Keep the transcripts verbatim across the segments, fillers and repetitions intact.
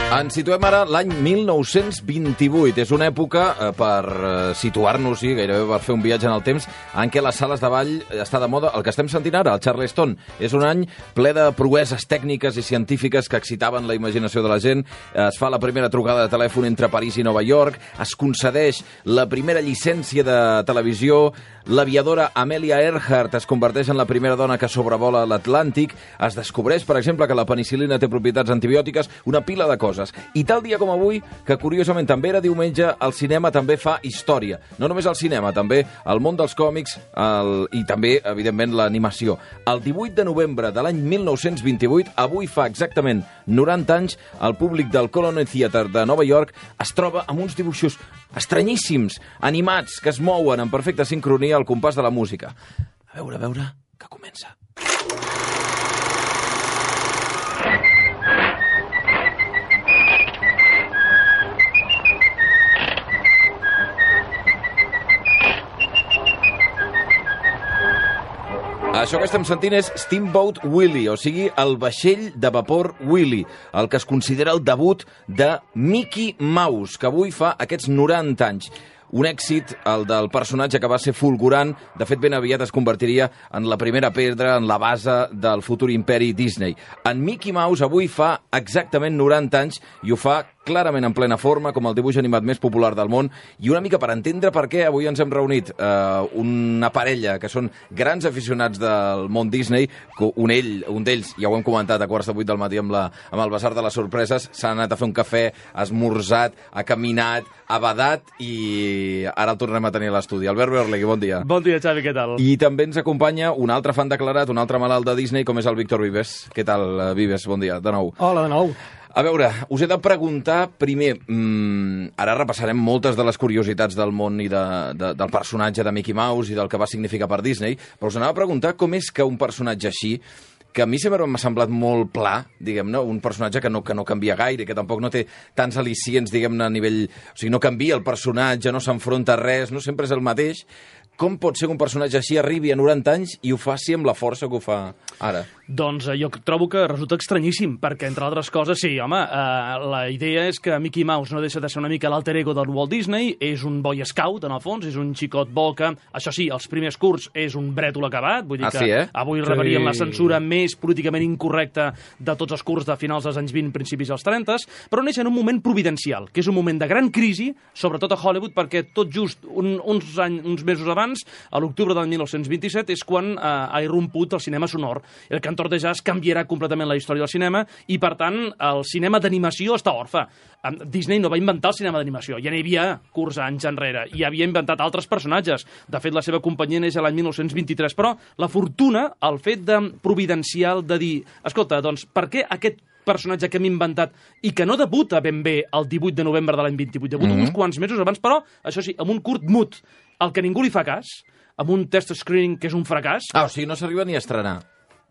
Ens situem ara l'any mil nou-cents vint-i-vuit. És una època, eh, per eh, situar-nos-hi, gairebé per fer un viatge en el temps, en què les sales de ball està de moda el que estem sentint ara, el Charleston. És un any ple de proeses tècniques i científiques que excitaven la imaginació de la gent. Es fa la primera trucada de telèfon entre París i Nova York, es concedeix la primera llicència de televisió, l'aviadora Amelia Earhart es converteix en la primera dona que sobrevola l'Atlàntic, es descobreix, per exemple, que la penicil·lina té propietats antibiòtiques, una pila de coses. I tal dia com avui, que curiosament també era diumenge, el cinema també fa història. No només el cinema, també el món dels còmics el... i també, evidentment, l'animació. El divuit de novembre de l'any mil nou-cents vint-i-vuit, avui fa exactament noranta anys, el públic del Colony Theatre de Nova York es troba amb uns dibuixos estranyíssims, animats, que es mouen en perfecta sincronia al compàs de la música. A veure, a veure, que comença. Això que estem sentint és Steamboat Willie, o sigui, el vaixell de vapor Willie, el que es considera el debut de Mickey Mouse, que avui fa aquests noranta anys. Un èxit, el del personatge que va ser fulgurant, de fet ben aviat es convertiria en la primera pedra, en la base del futur imperi Disney. En Mickey Mouse avui fa exactament noranta anys i ho fa clarament en plena forma, com el dibuix animat més popular del món, i una mica per entendre per què avui ens hem reunit eh, una parella que són grans aficionats del món Disney, un ell, un d'ells, ja ho hem comentat a quarts de vuit del matí amb, la, amb el Basar de les Sorpreses, s'ha anat a fer un cafè, ha esmorzat, ha caminat, ha badat i ara el tornem a tenir a l'estudi. Albert Berlegui, bon dia. Bon dia, Xavi, què tal? I també ens acompanya un altre fan declarat, un altre malalt de Disney, com és el Víctor Vives. Què tal, Vives? Bon dia, de nou. Hola, de nou. A veure, us he de preguntar primer, mmm, ara repassarem moltes de les curiositats del món i de, de, del personatge de Mickey Mouse i del que va significar per Disney, però us anava a preguntar com és que un personatge així, que a mi sempre m'ha semblat molt pla, diguem-ne, un personatge que no, que no canvia gaire, que tampoc no té tants al·licients, diguem-ne, a nivell... O sigui, no canvia el personatge, no s'enfronta a res, no sempre és el mateix. Com pot ser que un personatge així arribi a noranta anys i ho faci amb la força que ho fa ara? Doncs eh, jo trobo que resulta estranyíssim, perquè, entre altres coses, sí, home, eh, la idea és que Mickey Mouse no deixa de ser una mica l'alter ego del Walt Disney, és un boy scout, en el fons, és un xicot bo que, això sí, els primers curts és un brètol acabat, vull dir ah, que sí, eh? avui sí. rebrien la censura més políticament incorrecta de tots els curts de finals dels anys vint, principis dels trenta, però neix en un moment providencial, que és un moment de gran crisi, sobretot a Hollywood, perquè tot just un, uns, any, uns mesos abans, a l'octubre del mil nou-cents vint-i-set, és quan eh, ha irromput el cinema sonor. El cantor de jazz canviarà completament la història del cinema i, per tant, el cinema d'animació està orfe. Disney no va inventar el cinema d'animació, ja n'hi havia curts anys enrere, i havia inventat altres personatges. De fet, la seva companyia neix l'any mil nou-cents vint-i-tres, però la fortuna, el fet de providencial de dir, escolta, doncs, per què aquest personatge que hem inventat i que no debuta ben bé el divuit de novembre de l'any vint-i-vuit, debuta mm-hmm. uns quants mesos abans, però, això sí, amb un curt mut, al que ningú li fa cas, amb un test screening que és un fracàs. Ah, o sigui, no s'arriba ni a estrenar.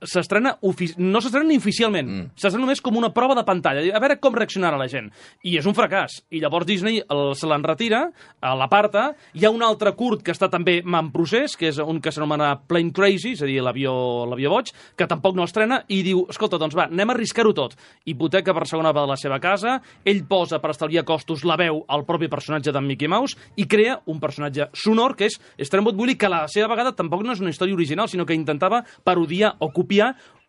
S'estrena no s'estrena ni oficialment, mm. s'estrena només com una prova de pantalla, a veure com reaccionarà la gent. I és un fracàs. I llavors Disney el, se l'enretira, l'aparta. Hi ha un altre curt que està també en procés, que és un que s'anomena Plane Crazy, és a dir, l'avió l'avió boig, que tampoc no estrena, i diu, escolta, doncs va, anem a arriscar-ho tot. Hipoteca per segona de la seva casa, ell posa per estalviar costos la veu al propi personatge d'en Mickey Mouse i crea un personatge sonor, que és Steamboat Willie, que a la seva vegada tampoc no és una història original, sinó que intentava parodiar o copiar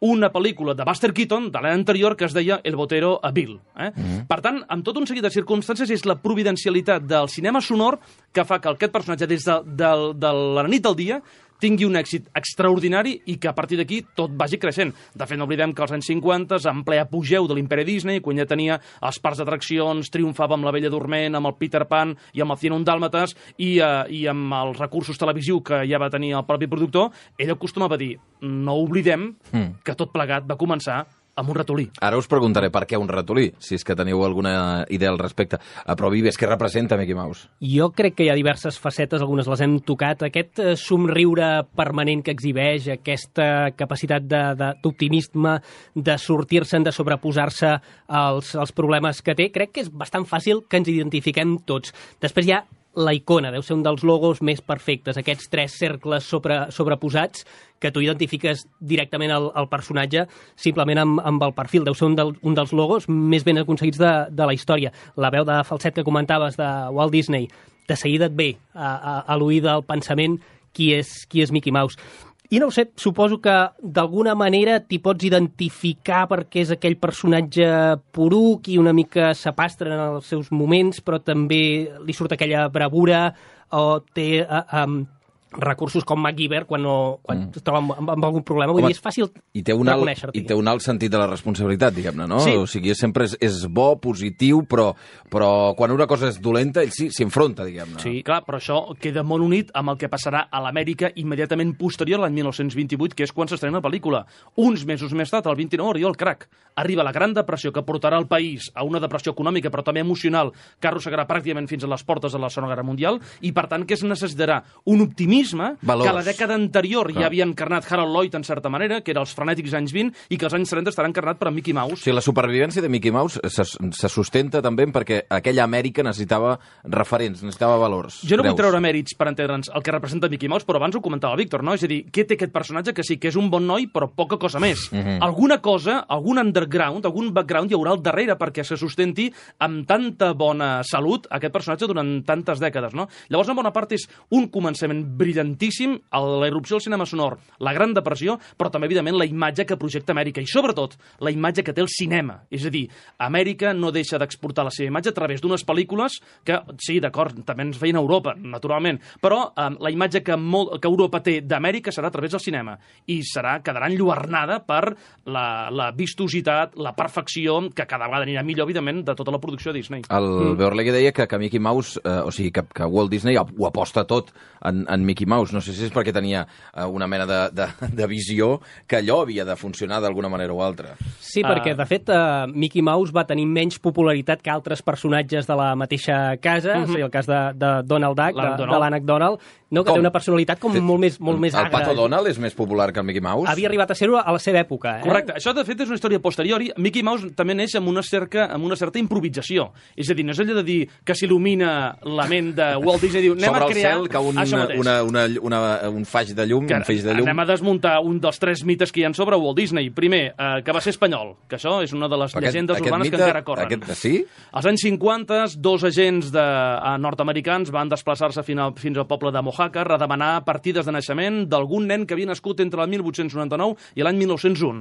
una pel·lícula de Buster Keaton de l'any anterior que es deia El Botero a Bill. Eh? Mm-hmm. Per tant, amb tot un seguit de circumstàncies és la providencialitat del cinema sonor que fa que aquest personatge des de, de, de la nit al dia tingui un èxit extraordinari i que a partir d'aquí tot vagi creixent. De fet, no oblidem que als anys cinquanta, en ple apogeu de l'imperi Disney, quan ja tenia els parcs d'atraccions, triomfava amb la Bella Dorment, amb el Peter Pan i amb el cien un dàlmates i, uh, i amb els recursos televisius que ja va tenir el propi productor, ell acostumava a dir, no oblidem mm. que tot plegat va començar amb un ratolí. Ara us preguntaré per què un ratolí, si és que teniu alguna idea al respecte. Però Vives, què representa Mickey Mouse? Jo crec que hi ha diverses facetes, algunes les hem tocat. Aquest eh, somriure permanent que exhibeix, aquesta capacitat d'optimisme, de, de sortir-se'n, de sobreposar-se als, als problemes que té, crec que és bastant fàcil que ens identifiquem tots. Després hi ha la icona, deu ser un dels logos més perfectes, aquests tres cercles sobre, sobreposats que tu identifiques directament el, el personatge simplement amb, amb el perfil. Deu ser un, del, un dels logos més ben aconseguits de, de la història. La veu de falset que comentaves de Walt Disney, de seguida et ve a, a, a l'oïda del pensament qui és, qui és Mickey Mouse. I no ho sé, suposo que d'alguna manera t'hi pots identificar perquè és aquell personatge poruc i una mica sapastre en els seus moments, però també li surt aquella bravura o té uh, um, recursos com MacGyver quan, no, quan mm. es troba amb, amb, amb algun problema. Vull Home, dir, és fàcil i té un alt, reconèixer-t'hi. I té un alt sentit de la responsabilitat, diguem-ne, no? Sí. O sigui, sempre és, és bo, positiu, però, però quan una cosa és dolenta, ell sí s'hi enfronta, diguem-ne. Sí, clar, però això queda molt unit amb el que passarà a l'Amèrica immediatament posterior a l'any mil nou-cents vint-i-vuit, que és quan s'estrena la pel·lícula. Uns mesos més tard, el vint-i-nou, arriba el crac. Arriba la Gran Depressió, que portarà el país a una depressió econòmica, però també emocional, que arrossegarà pràcticament fins a les portes de la Segona Guerra Mundial, i per tant que es necessitarà un optimisme Valors. que la dècada anterior Clar. ja havia encarnat Harold Lloyd, en certa manera, que era els frenètics anys vint, i que els anys trenta estarà encarnat per Mickey Mouse. O sigui, la supervivència de Mickey Mouse se, se sustenta també perquè aquella Amèrica necessitava referents, necessitava valors. Jo no creus? vull treure mèrits per entendre'ns el que representa Mickey Mouse, però abans ho comentava Víctor, no? És a dir, què té aquest personatge que sí que és un bon noi, però poca cosa més. Mhm. Alguna cosa, algun underground, algun background hi haurà al darrere perquè se sustenti amb tanta bona salut aquest personatge durant tantes dècades, no? Llavors, en bona part és un començament brillantíssim, la irrupció del cinema sonor, la Gran Depressió, però també, evidentment, la imatge que projecta Amèrica i, sobretot, la imatge que té el cinema. És a dir, Amèrica no deixa d'exportar la seva imatge a través d'unes pel·lícules que, sí, d'acord, també ens feien a Europa, naturalment, però eh, la imatge que, molt, que Europa té d'Amèrica serà a través del cinema i serà, quedarà enlluernada per la, la vistositat, la perfecció, que cada vegada anirà millor, evidentment, de tota la producció de Disney. El mm. Beorlegui deia que, que Mickey Mouse, eh, o sigui, que, que Walt Disney ho aposta tot en, en Mickey Mouse. No sé si és perquè tenia eh, una mena de, de, de visió que allò havia de funcionar d'alguna manera o altra. Sí, perquè, de fet, uh, Mickey Mouse va tenir menys popularitat que altres personatges de la mateixa casa, uh-huh. o sigui, el cas de, de Donald Duck, de, de l'ànec Donald, no, que com? té una personalitat com Té, molt més, molt més el agra. Pato Donald és més popular que el Mickey Mouse? Havia arribat a ser-ho a la seva època. Eh? Correcte. Això, de fet, és una història posteriori. Mickey Mouse també neix amb una, cerca, amb una certa improvisació. És a dir, no és allò de dir que s'il·lumina la ment de Walt Disney i diu, anem sobre a crear... el cel cau un, una, una, una, un faig de llum, que un feix de llum. Anem a desmuntar un dels tres mites que hi ha sobre Walt Disney. Primer, eh, que va ser espanyol, que això és una de les aquest, llegendes aquest urbanes mite, que encara corren. Aquest, sí? Als anys cinquanta, dos agents de, uh, nord-americans van desplaçar-se fins, al, fins al poble de Mojaca a redemanar partides de naixement d'algun nen que havia nascut entre el mil vuit-cents noranta-nou i l'any mil nou-cents u.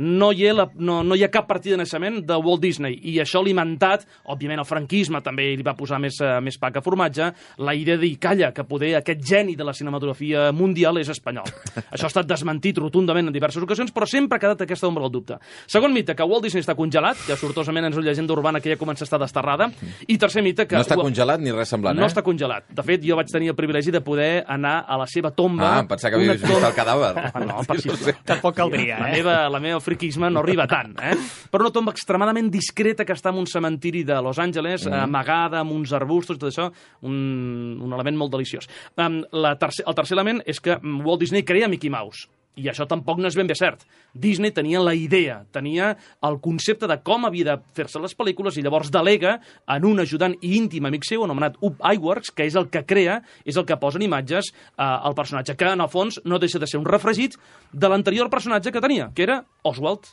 No hi, ha la, no, no hi ha cap partida de naixement de Walt Disney, i això ha alimentat, òbviament el franquisme també li va posar més, uh, més pa que formatge, la idea de dir, calla, que poder aquest geni de la cinematografia mundial és espanyol. Això ha estat desmentit rotundament en diverses ocasions, però sempre ha quedat aquesta ombra al dubte. Segon mite, que Walt Disney està congelat, que sortosament és una llegenda urbana que ja comença a estar desterrada, i tercer mite que... No està congelat ni res semblant, no eh? No està congelat. De fet, jo vaig tenir el privilegi de poder anar a la seva tomba... Ah, pensava que havies vist el cadàver. Ah, no, per si... Tampoc caldria, La eh? meva, la meva friquisme no arriba tant, eh? Però una tomba extremadament discreta que està en un cementiri de Los Angeles, mm. amagada amb uns arbustos i tot això, un, un element molt deliciós. Um, la tercer, el tercer element és que Walt Disney crea Mickey Mouse. I això tampoc no és ben bé cert. Disney tenia la idea, tenia el concepte de com havia de fer-se les pel·lícules i llavors delega en un ajudant i íntim amic seu anomenat Ub Iwerks, que és el que crea, és el que posa en imatges eh, el personatge, que en el fons no deixa de ser un refregit de l'anterior personatge que tenia, que era Oswald.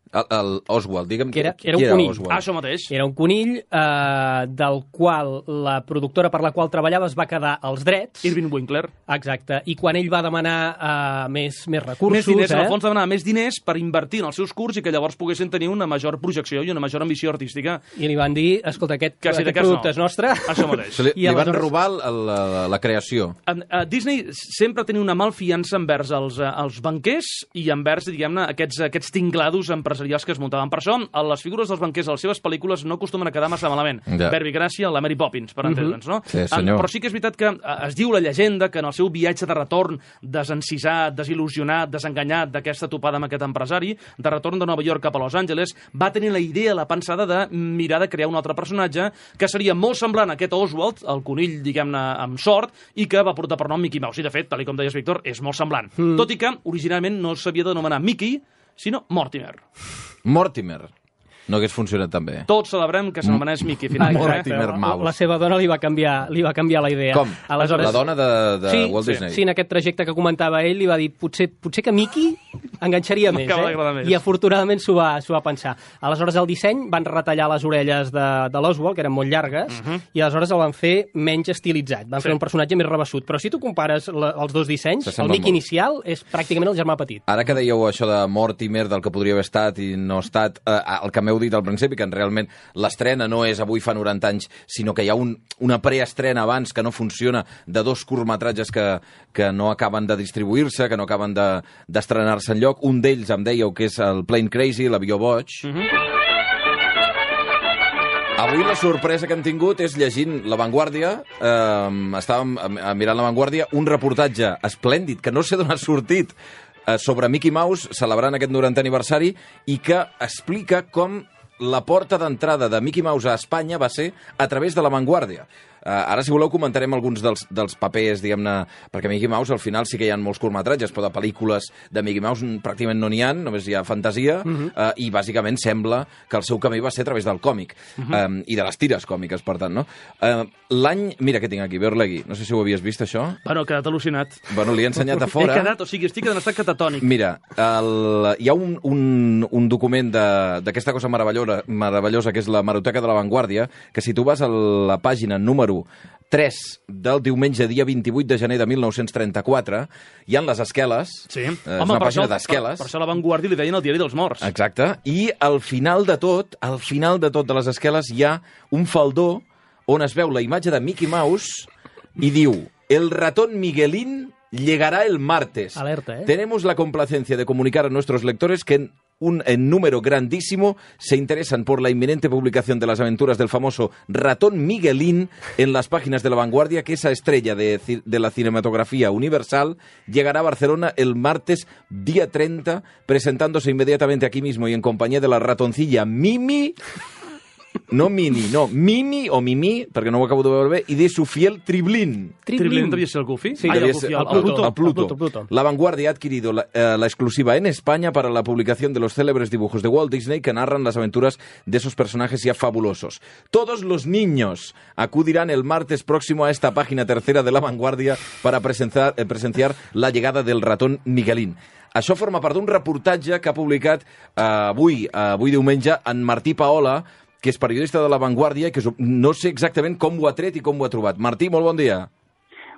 El, el Oswald, digue'm, Que era- qui era un era conill. Oswald? Ah, això mateix. Era un conill eh, del qual la productora per la qual treballava es va quedar els drets. Irving Winkler. Exacte. I quan ell va demanar eh, més, més recursos... Més diners, eh? en el fons demanava més diners per invertir en els seus curts i que llavors poguessin tenir una major projecció i una major ambició artística. I li van dir, escolta, aquest, Que sí, de aquest cas producte no. és nostre. Això mateix. O sigui, li, I li van aleshores- robar la, la, la creació. Uh, uh, Disney sempre tenia una malfiança envers els, uh, els banquers i envers, diguem-ne, aquests, aquests tinglados empresarials que es muntaven. Per això, a les figures dels banquers a les seves pel·lícules no acostumen a quedar massa malament. Ja. Verbi Gràcia, la Mary Poppins, per entendre'ns, no? Sí, senyor. Um, però sí que és veritat que uh, es diu la llegenda que en el seu viatge de retorn, desencisat, desil·lusionat, desenganyat d'aquesta topada amb aquest empresari, de retorn de Nova York cap a Los Angeles, va tenir la idea, la pensada de mirar de crear un altre personatge que seria molt semblant a aquest Oswald, el conill, diguem-ne, amb sort, i que va portar per nom Mickey Mouse. I, de fet, tal com deies, Víctor, és molt semblant. Mm. Tot i que, originalment, no s'havia d'anomenar Mickey, sinó Mortimer. Mortimer. No hagués funcionat tan bé. Tots celebrem que s'anomenés Mickey, finalment. Mortimer La, Mouse. la seva dona li va canviar, li va canviar la idea. Com? Aleshores, La dona de, de sí, Walt Disney? Sí, en aquest trajecte que comentava ell, li va dir potser, potser que Mickey enganxaria més, M'acaba eh? d'agradar més. I afortunadament s'ho va, s'ho va pensar. Aleshores, el disseny van retallar les orelles de, de l'Oswald, que eren molt llargues, uh -huh. i aleshores el van fer menys estilitzat. Van sí. fer un personatge més rebassut. Però si tu compares la, els dos dissenys, el Mickey molt. inicial és pràcticament el germà petit. Ara que dèieu això de Mortimer, del que podria haver estat i no ha estat, eh, el que m'heu dit al principi, que realment l'estrena no és avui fa noranta anys, sinó que hi ha un, una preestrena abans que no funciona, de dos curtmetratges que, que no acaben de distribuir-se, que no acaben de, d'estrenar-se enlloc. Un d'ells em dèieu que és el Plane Crazy, l'avió boig. Uh -huh. Avui la sorpresa que hem tingut és llegint La Vanguardia, eh, estàvem mirant La Vanguardia, un reportatge esplèndid, que no sé d'on ha sortit, eh, sobre Mickey Mouse, celebrant aquest norantè aniversari, i que explica com la porta d'entrada de Mickey Mouse a Espanya va ser a través de La Vanguardia. Uh, ara, si voleu, comentarem alguns dels, dels papers, diguem-ne, perquè Mickey Mouse al final sí que hi ha molts curtmetratges, però de pel·lícules de Mickey Mouse pràcticament no n'hi ha, només hi ha fantasia, uh -huh. uh, i bàsicament sembla que el seu camí va ser a través del còmic, uh -huh. um, i de les tires còmiques, per tant, no? Uh, L'any... Mira què tinc aquí, Beorlegui, no sé si ho havies vist, això. Bueno, he quedat al·lucinat. Bueno, li he ensenyat a fora. He quedat, o sigui, estic en estat catatònic. Mira, el, hi ha un, un, un document d'aquesta cosa meravellosa, meravellosa, que és la Hemeroteca de la Vanguardia, que si tu vas a la pàgina número tres del diumenge, dia vint-i-vuit de gener de mil nou-cents trenta-quatre, hi ha les esqueles, sí. eh, és Home, una per pàgina això, d'esqueles. Per, per això la Vanguardia li deien el diari dels morts. Exacte, i al final de tot, al final de tot de les esqueles, hi ha un faldó on es veu la imatge de Mickey Mouse i diu: el ratón Miguelín llegará el martes. Alerta, ¿eh? Tenemos la complacencia de comunicar a nuestros lectores que en un en número grandísimo se interesan por la inminente publicación de las aventuras del famoso ratón Miguelín en las páginas de La Vanguardia, que esa estrella de, de la cinematografía universal llegará a Barcelona el martes día treinta, presentándose inmediatamente aquí mismo y en compañía de la ratoncilla Mimi... No Mini, no, Mimi o Mimi, perquè no ho acabo de veure bé, i de su fiel Triblín. Triblín devia ser el Goofy? Sí, ah, devia el, Goofy, ser el, el, el, Pluto. el Pluto. El Pluto, Pluto. La Vanguardia ha adquirido la, eh, la exclusiva en España para la publicación de los célebres dibujos de Walt Disney que narran las aventuras de esos personajes ya fabulosos. Todos los niños acudirán el martes próximo a esta página tercera de La Vanguardia para presenciar, eh, presenciar la llegada del ratón Miguelín. Això forma part d'un reportatge que ha publicat eh, avui, eh, avui diumenge, en Martí Paola, que és periodista de La Vanguardia i que no sé exactament com ho ha tret i com ho ha trobat. Martí, molt bon dia.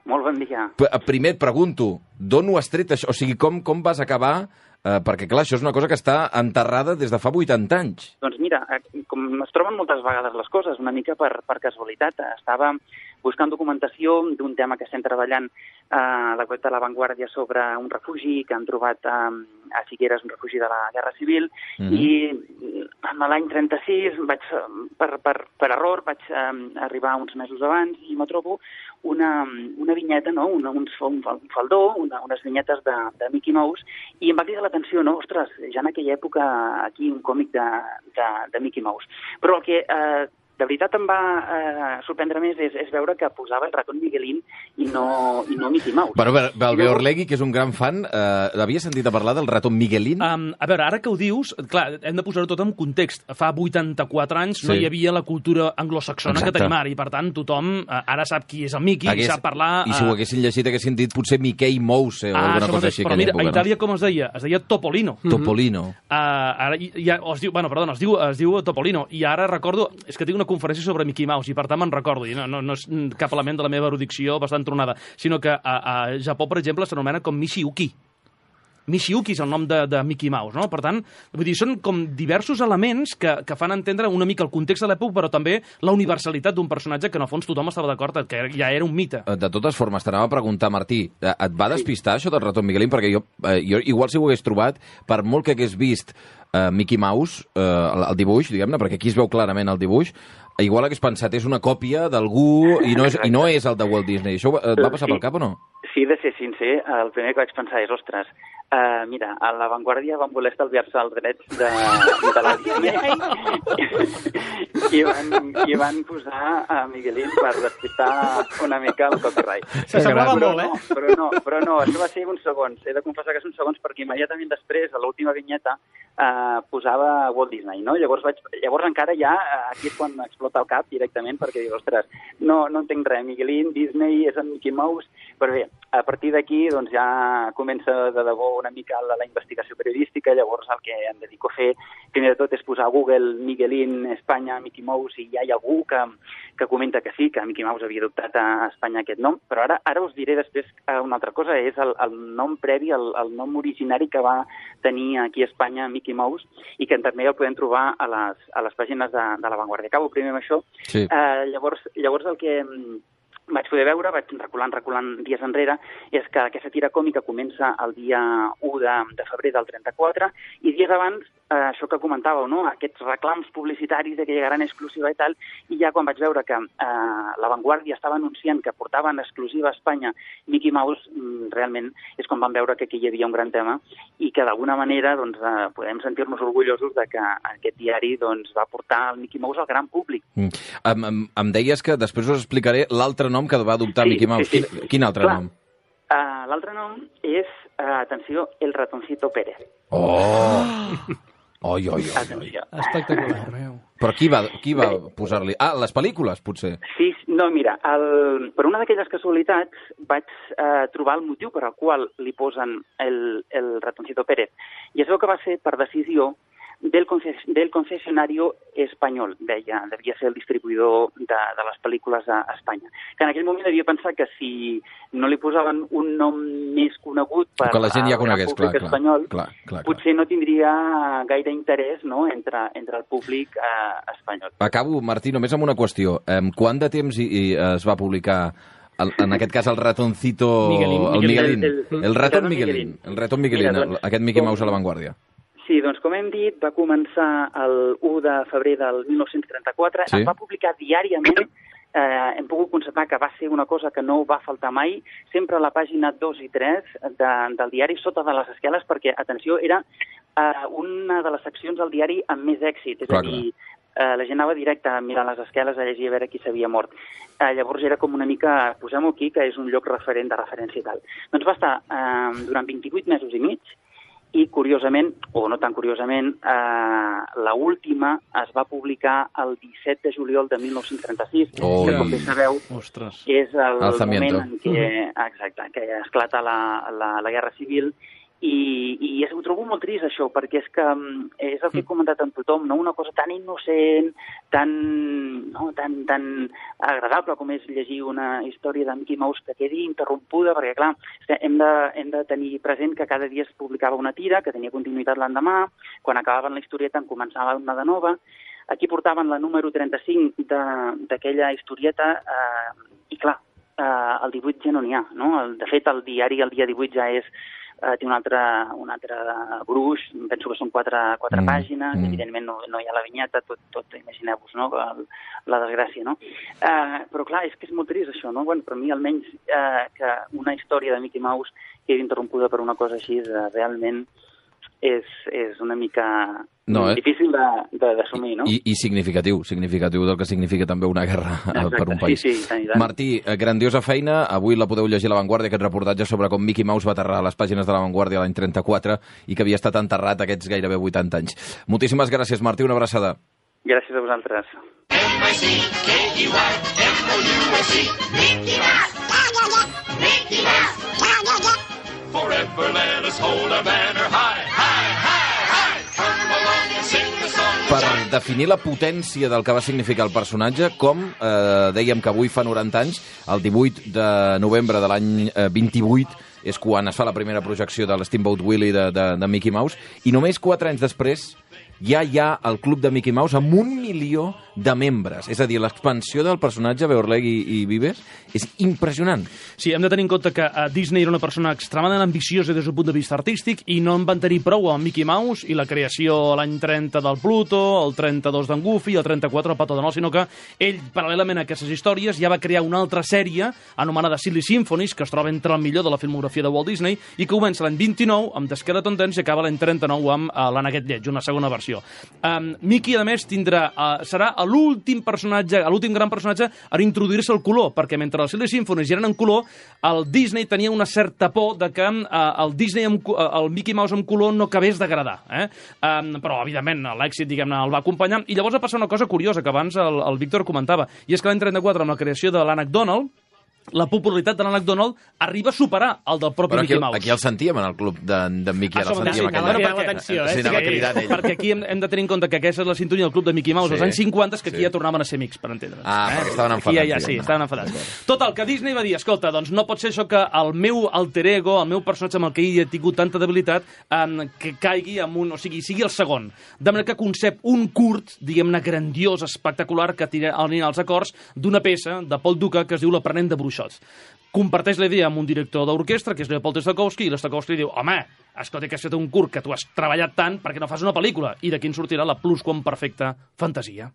Molt bon dia. Primer et pregunto, d'on ho has tret això? O sigui, com, com vas acabar? Eh, perquè, clar, això és una cosa que està enterrada des de fa vuitanta anys. Doncs mira, com es troben moltes vegades les coses, una mica per, per casualitat, estava buscant documentació d'un tema que estem treballant eh, a la web de La Vanguardia sobre un refugi que han trobat eh, a Figueres, un refugi de la Guerra Civil, mm-hmm. i en l'any trenta-sis, vaig, per, per, per error, vaig eh, arribar uns mesos abans i me trobo una, una vinyeta, no? una, un, un faldó, una, unes vinyetes de, de Mickey Mouse, i em va cridar l'atenció, no? Ostres, ja en aquella època aquí un còmic de, de, de Mickey Mouse. Però el que eh, de veritat em va eh, sorprendre més és, és veure que posava el ratón Miguelín i no, i no Mickey Mouse. Bueno, el Beorlegui, que és un gran fan, eh, l'havia sentit a parlar del ratón Miguelín? Um, a veure, ara que ho dius, clar, hem de posar-ho tot en context. Fa vuitanta-quatre anys sí. no hi havia la cultura anglosaxona Exacte. que tenim ara, i per tant tothom uh, ara sap qui és el Mickey, Hagués, i sap parlar... I si ho haguessin llegit haguessin dit potser Mickey Mouse o ah, alguna cosa així. Però mira, època, a Itàlia no? com es deia? Es deia Topolino. Topolino. Uh, ara ja, o es diu, bueno, perdona, es diu, es diu Topolino, i ara recordo, és que tinc una conferència sobre Mickey Mouse, i per tant me'n recordo, i no, no, no és cap element de la meva erudició bastant tronada, sinó que a, a Japó, per exemple, s'anomena com Michiuki. Michiuki és el nom de, de Mickey Mouse, no? Per tant, vull dir, són com diversos elements que, que fan entendre una mica el context de l'època, però també la universalitat d'un personatge que, en el fons, tothom estava d'acord que ja era un mite. De totes formes, t'anava a preguntar, Martí, et va despistar això del ratón Miguelín? Perquè jo, eh, jo igual si ho hagués trobat, per molt que hagués vist eh, Mickey Mouse, eh, el, el dibuix, diguem-ne, perquè aquí es veu clarament el dibuix, igual hagués pensat, és una còpia d'algú i, no és, i no és el de Walt Disney. Això et va passar sí, pel cap o no? Sí, de ser sincer, el primer que vaig pensar és, ostres, Uh, mira, a La Vanguardia van voler estalviar-se els drets de, de la Disney i, van, i van posar a Miguelín per despistar una mica el copyright. S'assemblava Però molt, eh? no, però no, però no, això va ser uns segons. He de confessar que són segons perquè immediatament després, a l'última vinyeta, uh, posava Walt Disney, no? Llavors, vaig, llavors encara ja, aquí és quan explota el cap directament, perquè dic, ostres, no, no entenc res, Miguelín, Disney, és en Mickey Mouse, però bé, a partir d'aquí doncs, ja comença de debò una mica la, la investigació periodística, llavors el que em dedico a fer, primer de tot, és posar a Google Miguelín, Espanya, Mickey Mouse, i ja hi ha algú que, que comenta que sí, que Mickey Mouse havia adoptat a Espanya aquest nom, però ara ara us diré després una altra cosa, és el, el nom previ, el, el nom originari que va tenir aquí a Espanya Mickey Mouse, i que també el podem trobar a les, a les pàgines de, de La Vanguardia. Acabo primer amb això. Sí. Uh, llavors, llavors el que vaig poder veure, vaig reculant, reculant dies enrere, és que aquesta tira còmica comença el dia u de, de febrer del trenta-quatre, i dies abans, eh, això que comentàveu, no? Aquests reclams publicitaris de que llegaran exclusiva i tal, i ja quan vaig veure que eh, La Vanguardia estava anunciant que portaven exclusiva a Espanya Mickey Mouse, realment és quan vam veure que aquí hi havia un gran tema, i que d'alguna manera doncs, eh, podem sentir-nos orgullosos de que aquest diari doncs, va portar el Mickey Mouse al gran públic. Mm. Em, em, em deies que després us explicaré l'altre nom que va adoptar Sí, Mickey Mouse. sí, sí. Quin, quin altre Clar. nom? Uh, L'altre nom és, uh, atenció, El Ratoncito Pérez. Oh! Oi, oi, oi, oi. Atenció. Espectacular. Però qui va, qui va posar-li? Ah, les pel·lícules, potser. Sí, no, mira, el, per una d'aquelles casualitats vaig eh, trobar el motiu per al qual li posen el, el Ratoncito Pérez. I es veu que va ser per decisió del, conces del concessionario espanyol, deia, devia ser el distribuïdor de, de les pel·lícules a, a Espanya. Que en aquell moment havia pensat que si no li posaven un nom més conegut per que la gent ja conegués, clar, clar, espanyol, clar, clar, clar. potser no tindria gaire interès, no?, entre, entre el públic eh, espanyol. Acabo, Martí, només amb una qüestió. Um, quant de temps i, i es va publicar el, en aquest cas el ratoncito... Miguelín. El Miguelín. El, el, El raton el Miguelín. Miguelín. El raton Miguelín, Mira, doncs, aquest Mickey com- Mouse a La Vanguardia. Sí, doncs com hem dit, va començar el u de febrer del mil nou-cents trenta-quatre, Sí. es va publicar diàriament, eh, hem pogut constatar que va ser una cosa que no va faltar mai, sempre a la pàgina dos i tres de, del diari, sota de les esqueles, perquè, atenció, era eh, una de les seccions del diari amb més èxit, és Clar, a dir, eh, la gent anava directe a mirar les esqueles, a llegir a veure qui s'havia mort. Eh, llavors era com una mica, posem-ho aquí, que és un lloc referent de referència i tal. Doncs va estar eh, durant vint-i-vuit mesos i mig, i curiosament, o no tan curiosament, eh, la última es va publicar el disset de juliol de mil nou-cents trenta-sis, Oh. que com bé sabeu Ostres. és el Alzamiento. moment en què, exacte, que esclata la, la, la Guerra Civil, i, i ho trobo molt trist, això, perquè és que mm, és el que he comentat amb tothom, no? Una cosa tan innocent, tan, no? tan, tan agradable com és llegir una història de Mickey Mouse que quedi interrompuda, perquè, clar, hem de, hem de tenir present que cada dia es publicava una tira, que tenia continuïtat l'endemà, quan acabaven la historieta en començava una de nova. Aquí portaven la número trenta-cinc d'aquella historieta, eh, i clar, eh, el divuit ja no n'hi ha, no? El, de fet, el diari el dia divuit ja és Uh, té un altre, un altre gruix, penso que són quatre, quatre Mm, pàgines, mm. evidentment no, no hi ha la vinyeta, tot, tot imagineu-vos, no?, el, la desgràcia, no? Uh, però clar, és que és molt trist això, no? Bueno, per mi almenys uh, que una història de Mickey Mouse quedi interrompuda per una cosa així, uh, realment és, és una mica No, eh? difícil d'assumir, no? I, I significatiu, significatiu del que significa també una guerra Exacte, per un país. sí, sí, tant i tant. Martí, eh, grandiosa feina. Avui la podeu llegir a La Vanguardia, aquest reportatge sobre com Mickey Mouse va aterrar a les pàgines de La Vanguardia l'any trenta-quatre i que havia estat enterrat aquests gairebé vuitanta anys. Moltíssimes gràcies, Martí, una abraçada. Gràcies a vosaltres. M I C K E Y M O U S E Mickey Mouse! Mickey Mouse! Forever let us hold our banner high, high, high, high! Come along and sing the song. Per definir la potència del que va significar el personatge, com eh, dèiem que avui fa noranta anys, el divuit de novembre de l'any eh, vint-i-vuit, és quan es fa la primera projecció de l'Steamboat Willie de, de, de Mickey Mouse, i només quatre anys després ja hi ha el club de Mickey Mouse amb un milió de membres. És a dir, l'expansió del personatge Beorleg i, i Vives és impressionant. Sí, hem de tenir en compte que uh, Disney era una persona extremadament ambiciosa des del punt de vista artístic i no en van tenir prou amb Mickey Mouse i la creació l'any trenta del Pluto, el trenta-dos d'en Goofy, el trenta-quatre del Pato Donald, sinó que ell, paral·lelament a aquestes històries, ja va crear una altra sèrie anomenada Silly Symphonies, que es troba entre el millor de la filmografia de Walt Disney i que comença l'any vint-i-nou amb The Skeleton Dance i acaba l'any trenta-nou amb uh, l'Anaguet Lleig, una segona versió. Um, Mickey, a més, tindrà, uh, serà l'últim personatge, l'últim gran personatge a introduir-se al color, perquè mentre els Silly Symphonies ja eren en color, el Disney tenia una certa por de que uh, el Disney amb, uh, el Mickey Mouse en color no acabés d'agradar. Eh? Um, però, evidentment, l'èxit, diguem-ne, el va acompanyar. I llavors va passar una cosa curiosa que abans el, el Víctor comentava, i és que l'any trenta-quatre, amb la creació de l'Ànec Donald, la popularitat de l'Ànec Donald arriba a superar el del propi Però aquí, Mickey Mouse. Aquí el sentíem en el club d'en de, Mickey, Ah, el sentíem sí, aquell anava any. cridant l'atenció, eh? Sí, anava cridant ell. Perquè aquí hem, hem de tenir en compte que aquesta és la sintonia del club de Mickey Mouse Sí, dels anys cinquanta, que aquí sí. ja tornaven a ser amics, per entendre'ns. Ah, perquè estaven Aquí ja, ja, enfadats, sí, diguem-ne. estaven enfadats. Total, que Disney va dir, escolta, doncs no pot ser això que el meu alter ego, el meu personatge amb el que ell ha tingut tanta debilitat, um, que caigui amb un... O sigui, sigui el segon. De manera que concep un curt, diguem-ne, grandiós, espectacular, que tira als acords d'una peça de Paul Duca que es diu L'aprenent de bruixots. Comparteix la idea amb un director d'orquestra, que és Leopold Stokowski, i l'Stokowski li diu, home, escolta, que has fet un curt, que tu has treballat tant, perquè no fas una pel·lícula? I d'aquí en sortirà la plusquamperfecta fantasia.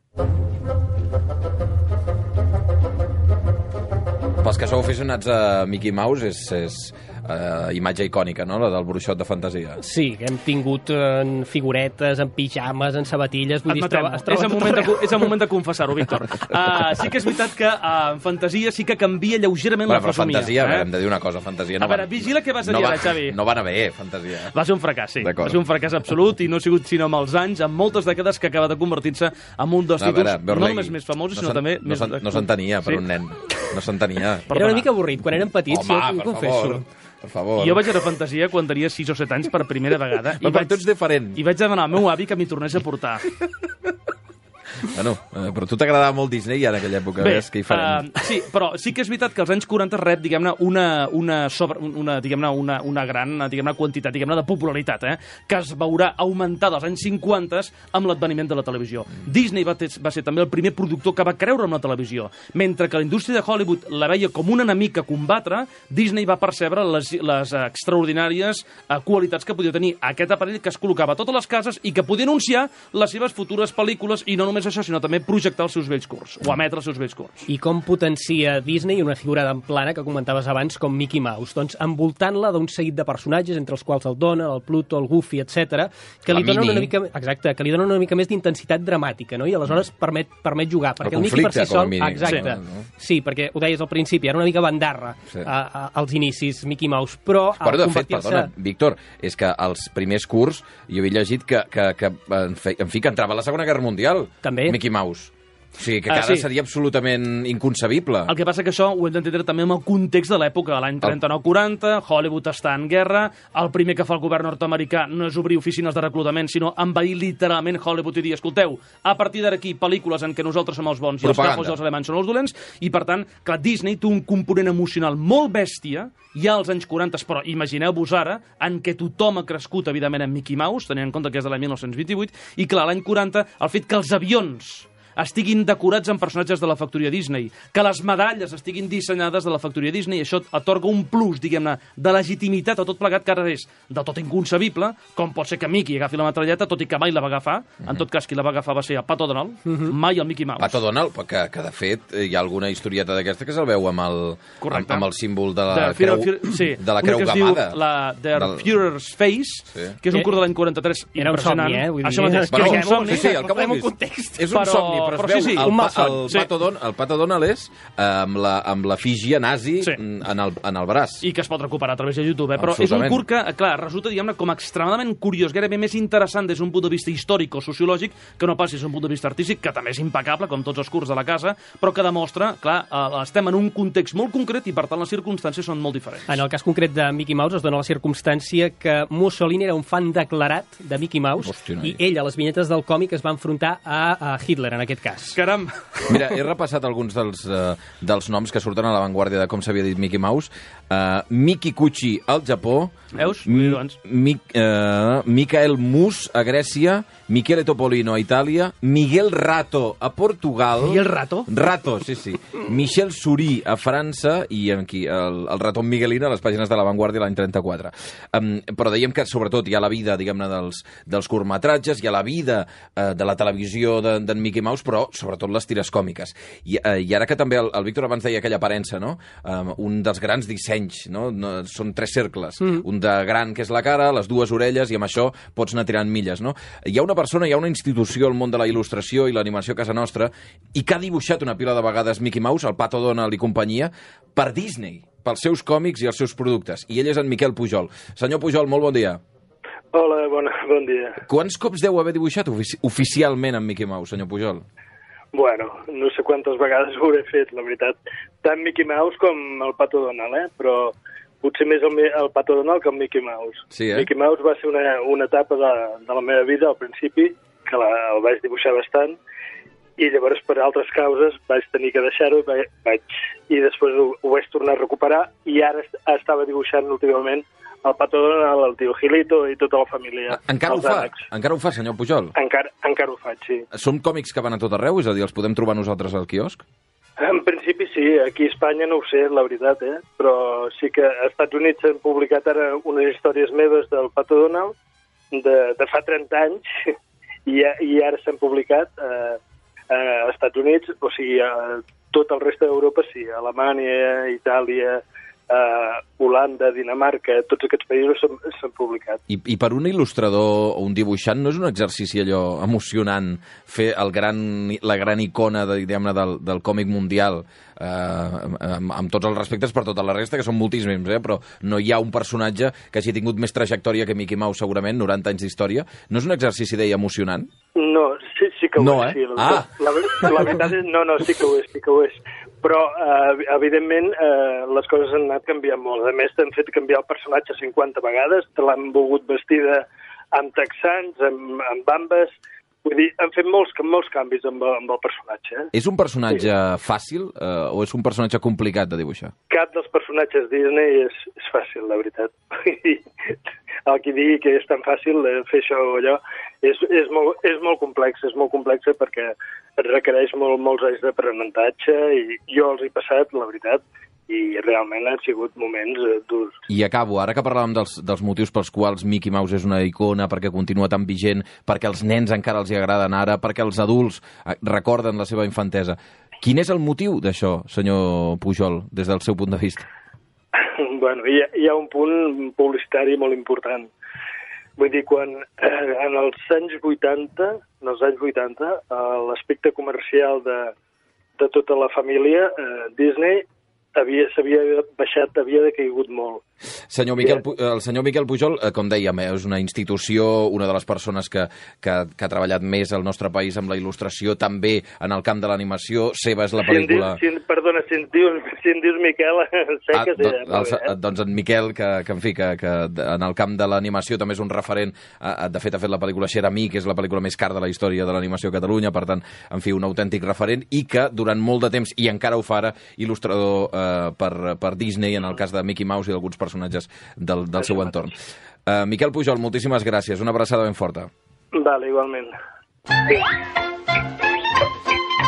Pels que sou aficionats a Mickey Mouse, és, és uh, imatge icònica, no?, la del bruixot de fantasia. Sí, que hem tingut en figuretes, en pijames, en sabatilles... Vull dir, es troba, es troba és, el moment de, és el moment de confessar-ho, Víctor. Uh, sí que és veritat que uh, en fantasia sí que canvia lleugerament Però, la però fesomia. fantasia, eh? hem de dir una cosa, fantasia... No A veure, van- vigila què vas a no dir va, ara, Xavi. No van a bé, fantasia. Va ser un fracàs, sí. D'acord. Va ser un fracàs absolut i no ha sigut sinó amb els anys, amb moltes dècades, que acaba de convertir-se en un dels A títols veure, no Beorlegui, només més famosos, no sinó s'en- també no més... s'en- No s'entenia per Sí. un nen. No s'entenia. Era una mica avorrit. Quan érem petits, Home, jo ho per confesso. favor. Per favor. I jo vaig a la fantasia quan tenia sis o set anys per primera vegada. Però per tu ets diferent. I vaig demanar al meu avi que m'hi tornés a portar. Bueno, eh, però a tu t'agradava molt Disney ja en aquella època, Bé, ves que hi farem. uh, sí, però sí que és veritat que als anys quaranta rep, diguem-ne, una, una, sobre, una, diguem-ne, una, una gran diguem-ne, quantitat diguem-ne, de popularitat, eh, que es veurà augmentada als anys cinquanta amb l'adveniment de la televisió. Disney va, ter, va ser també el primer productor que va creure en la televisió. Mentre que la indústria de Hollywood la veia com un enemic a combatre, Disney va percebre les, les extraordinàries uh, qualitats que podia tenir aquest aparell que es col·locava a totes les cases i que podia anunciar les seves futures pel·lícules, i no només això, sinó també projectar els seus vells curts, o emetre els seus vells curts. I com potencia Disney una figura d'en plana que comentaves abans com Mickey Mouse? Doncs envoltant-la d'un seguit de personatges, entre els quals el Donald, el Pluto, el Goofy, etcètera, que La li donen Minnie. una mica, exacte, que li donen una mica més d'intensitat dramàtica, no? I aleshores permet, permet jugar. Perquè El el, Mickey per conflicte, si com a sol... mínim. Exacte. Sí, no? Sí, perquè ho deies al principi, era una mica bandarra Sí. a, a, als inicis Mickey Mouse, però al Però, de fet, convertir-se... perdona, Víctor, és que els primers curs, jo havia llegit que, que, que en, fi, en fi, que entrava a la Segona Guerra Mundial. També. Mickey Mouse. O sigui, que Ah, ara sí. seria absolutament inconcebible. El que passa que això ho hem d'entendre també amb el context de l'època, l'any trenta-nou quaranta, Hollywood està en guerra, el primer que fa el govern nord-americà no és obrir oficines de reclutament, sinó envair literalment Hollywood i dir, escolteu, a partir d'aquí pel·lícules en què nosaltres som els bons i els Propaganda. capos i els alemanys són els dolents, i per tant, clar, Disney té un component emocional molt bèstia, ja als anys quaranta, però imagineu-vos ara, en què tothom ha crescut, evidentment, amb Mickey Mouse, tenint en compte que és de l'any dinou vint-i-vuit, i clar, l'any quaranta, el fet que els avions estiguin decorats amb personatges de la factoria Disney, que les medalles estiguin dissenyades de la factoria Disney, i això atorga un plus, diguem-ne, de legitimitat a tot plegat, que ara és de tot inconcebible, com pot ser que Mickey agafi la metralleta, tot i que mai la va agafar. En tot cas, qui la va agafar va ser el Pato Donald, mai el Mickey Mouse. Pato Donald, que, que de fet hi ha alguna historieta d'aquesta que se'l veu amb el, Correcte. amb, amb el símbol de la de creu, Fear, sí, de la una creu que es diu gamada. la Der Del- Führer's Face, Sí. que és un Eh, curt de l'any quaranta-tres era un impressionant. somni, eh? Vull dir, Això mateix, Bueno, que és un somni. sí, sí, el que Posem un vulguis. context. És un Però- somni, però, però es veu sí, sí, el, un pa- malson. el, Sí. Pato Don, el Pato Donald és eh, amb la, amb la fígia nazi Sí. en, el, en el braç. I que es pot recuperar a través de YouTube, eh? Però és un Absolutament. curt que, clar, resulta, diguem-ne, com extremadament curiós, gairebé més interessant des d'un punt de vista històric o sociològic que no pas des d'un punt de vista artístic, que també és impecable, com tots els curts de la casa, però que demostra, clar, eh, estem en un context molt concret i, per tant, les circumstàncies són molt diferents. En el cas concret de Mickey Mouse es dona la circumstància que Mussolini era un fan declarat de Mickey Mouse. Hòstia, noi. I ell, a les vinyetes del còmic, es va enfrontar a, a Hitler, en aquest cas. Caram! Mira, he repassat alguns dels, uh, dels noms que surten a l'avantguàrdia de com s'havia dit Mickey Mouse. Uh, Miki Kuchi al Japó. Veus? Mi, Doncs. Mi, uh, Michael Mus a Grècia Michele Topolino a Itàlia, Miguel Rato a Portugal... Miguel Rato? Rato, sí, sí. Michel Surí a França i aquí, el, el ratón Miguelino a les pàgines de La Vanguardia l'any trenta-quatre. Um, però dèiem que, sobretot, hi ha la vida, diguem-ne, dels, dels curtmetratges, hi ha la vida uh, de la televisió d'en de, Mickey Mouse, però, sobretot, les tires còmiques. I, uh, i ara que també el, el Víctor abans deia aquella aparença, no? Um, un dels grans dissenys, no? no són tres cercles. Mm. Un de gran, que és la cara, les dues orelles, i amb això pots anar tirant milles, no? Hi ha una persona, hi ha una institució al món de la il·lustració i l'animació a casa nostra i que ha dibuixat una pila de vegades Mickey Mouse, el Pato Donald i companyia, per Disney, pels seus còmics i els seus productes. I ell és en Miquel Pujol. Senyor Pujol, molt bon dia. Hola, bona, bon dia. Quants cops deu haver dibuixat ofici oficialment en Mickey Mouse, senyor Pujol? Bueno, no sé quantes vegades ho hauré fet, la veritat. Tant Mickey Mouse com el Pato Donald, eh? Però potser més el, el Pato Donald que el Mickey Mouse. Sí, eh? Mickey Mouse va ser una, una etapa de, de la meva vida al principi, que la, el vaig dibuixar bastant, i llavors per altres causes vaig tenir que deixar-ho vaig, vaig, i després ho, ho vaig tornar a recuperar, i ara est estava dibuixant últimament el Pato Donald, el tio Gilito i tota la família. Encara ho fa? Ànecs. Encara ho fa, senyor Pujol? Encara, encara ho faig, sí. Són còmics que van a tot arreu? És a dir, els podem trobar nosaltres al quiosc? En principi sí, aquí a Espanya no ho sé, la veritat, eh? Però sí que als Estats Units s'han publicat ara unes històries meves del Pato Donald de, de fa trenta anys i, i ara s'han publicat eh, eh, als Estats Units, o sigui, a tot el reste d'Europa sí, Alemanya, Itàlia, Uh, Holanda, Dinamarca, tots aquests països s'han publicat. I, I per un il·lustrador o un dibuixant no és un exercici allò emocionant fer el gran, la gran icona de, del, del còmic mundial uh, amb, amb tots els respectes per tota la resta, que són moltíssims, eh? Però no hi ha un personatge que hagi tingut més trajectòria que Mickey Mouse, segurament, noranta anys d'història. No és un exercici, deia, emocionant? No, sí, sí que ho no, és. Eh? Sí, la, ah. la, la, la veritat és, no, no, sí que ho és, sí que ho és. Però, eh, evidentment, eh, les coses han anat canviant molt. A més, t'han fet canviar el personatge cinquanta vegades, te l'han volgut vestida amb texans, amb, amb bambes. Vull dir, han fet molts, molts canvis amb, amb el personatge. Eh? És un personatge sí. fàcil eh, o és un personatge complicat de dibuixar? Cap dels personatges Disney és, és fàcil, la veritat. El que digui que és tan fàcil fer això o allò és, és, molt, és molt complex, és molt complex perquè et requereix molt, molts anys d'aprenentatge i jo els he passat, la veritat, i realment han sigut moments eh, durs. I acabo, ara que parlàvem dels, dels motius pels quals Mickey Mouse és una icona, perquè continua tan vigent, perquè els nens encara els hi agraden ara, perquè els adults recorden la seva infantesa. Quin és el motiu d'això, senyor Pujol, des del seu punt de vista? Bueno, hi ha, hi ha un punt publicitari molt important. Vull dir, quan eh, en els anys vuitanta, en els anys vuitanta, eh, l'aspecte comercial de, de tota la família, eh, Disney, havia s'havia baixat, havia decaigut molt. Senyor Miquel, el senyor Miquel Pujol, com dèiem, és una institució, una de les persones que, que, que ha treballat més al nostre país amb la il·lustració, també en el camp de l'animació. Seva és la pel·lícula... Si en dius, si, perdona, si en dius, si en dius Miquel, sé ah, que sí. Do, el, eh? Doncs en Miquel, que, que en fi, que, que en el camp de l'animació també és un referent. De fet, ha fet la pel·lícula Xeramí, que és la pel·lícula més cara de la història de l'animació a Catalunya, per tant, en fi, un autèntic referent, i que durant molt de temps, i encara ho fa ara, il·lustrador eh, per, per Disney, en el cas de Mickey Mouse i d'alguns personatges del, del seu entorn. Uh, Miquel Pujol, moltíssimes gràcies. Una abraçada ben forta. Vale, igualment.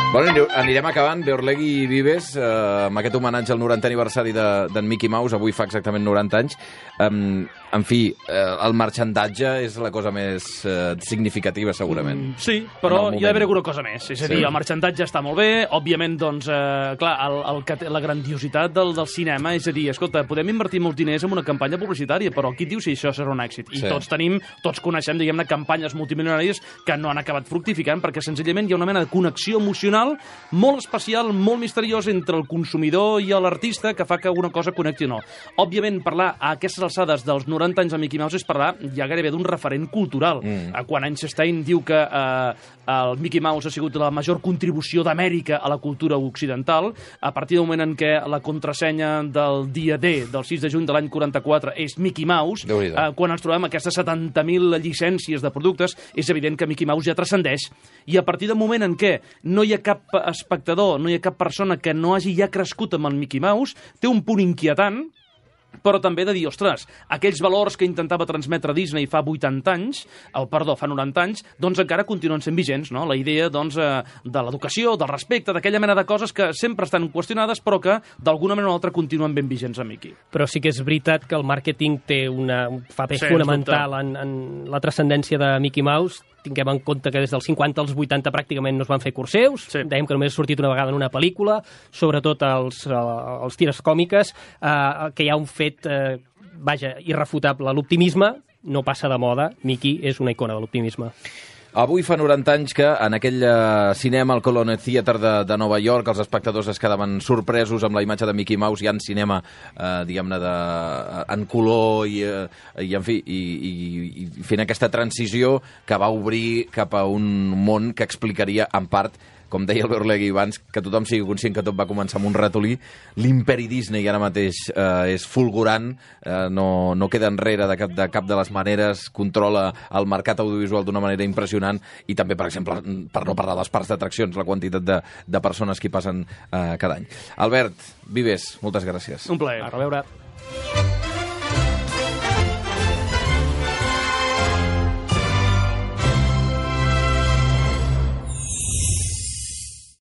Bueno, anirem acabant. Beorlegui Vives, eh, amb aquest homenatge al norantè aniversari d'en de, Mickey Mouse. Avui fa exactament noranta anys. Um, en fi, eh, el marxandatge és la cosa més eh, significativa, segurament. Mm, sí, però hi ha d'haver alguna cosa més. És a dir, sí. El marxandatge està molt bé. Òbviament, doncs, eh, clar, el, el, la grandiositat del, del cinema, és a dir, escolta, podem invertir molts diners en una campanya publicitària, però qui diu si això serà un èxit? I sí. tots tenim, tots coneixem, diguem-ne, campanyes multimilionàries que no han acabat fructificant perquè senzillament hi ha una mena de connexió emocional molt especial, molt misteriós entre el consumidor i l'artista que fa que una cosa connecti o no. Òbviament, parlar a aquestes alçades dels noranta anys de Mickey Mouse és parlar ja gairebé d'un referent cultural. Mm. Quan Einstein diu que eh, el Mickey Mouse ha sigut la major contribució d'Amèrica a la cultura occidental, a partir del moment en què la contrasenya del dia D, del sis de juny de l'any quaranta-quatre, és Mickey Mouse, eh, quan ens trobem aquestes setanta mil llicències de productes, és evident que Mickey Mouse ja transcendeix. I a partir del moment en què no hi ha cap espectador, no hi ha cap persona que no hagi ja crescut amb el Mickey Mouse, té un punt inquietant, però també de dir, ostres, aquells valors que intentava transmetre Disney fa vuitanta anys, o perdó, fa noranta anys, doncs encara continuen sent vigents, no? La idea, doncs, eh, de l'educació, del respecte, d'aquella mena de coses que sempre estan qüestionades, però que d'alguna manera o altra continuen ben vigents a Mickey. Però sí que és veritat que el màrqueting té una, un paper Sí, fonamental en, en la transcendència de Mickey Mouse. Tinguem en compte que des dels cinquanta als vuitanta pràcticament no es van fer curseus, Sí. dèiem que només ha sortit una vegada en una pel·lícula, sobretot els, eh, els tires còmiques, eh, que hi ha un fet, eh, vaja, irrefutable. L'optimisme no passa de moda. Mickey és una icona de l'optimisme. Avui fa noranta anys que en aquell uh, cinema, al Colony Theatre de, de Nova York, els espectadors es quedaven sorpresos amb la imatge de Mickey Mouse, ja en cinema, uh, diguem-ne, de, uh, en color i, uh, i en fi, i, i, i fent aquesta transició que va obrir cap a un món que explicaria, en part, com deia el Berlegui abans, que tothom sigui conscient que tot va començar amb un ratolí. L'imperi Disney ara mateix eh, és fulgurant, eh, no, no queda enrere de cap, de cap de les maneres, controla el mercat audiovisual d'una manera impressionant i també, per exemple, per no parlar dels parcs d'atraccions, la quantitat de, de persones que hi passen eh, cada any. Albert Vives, moltes gràcies. Un plaer. A reveure.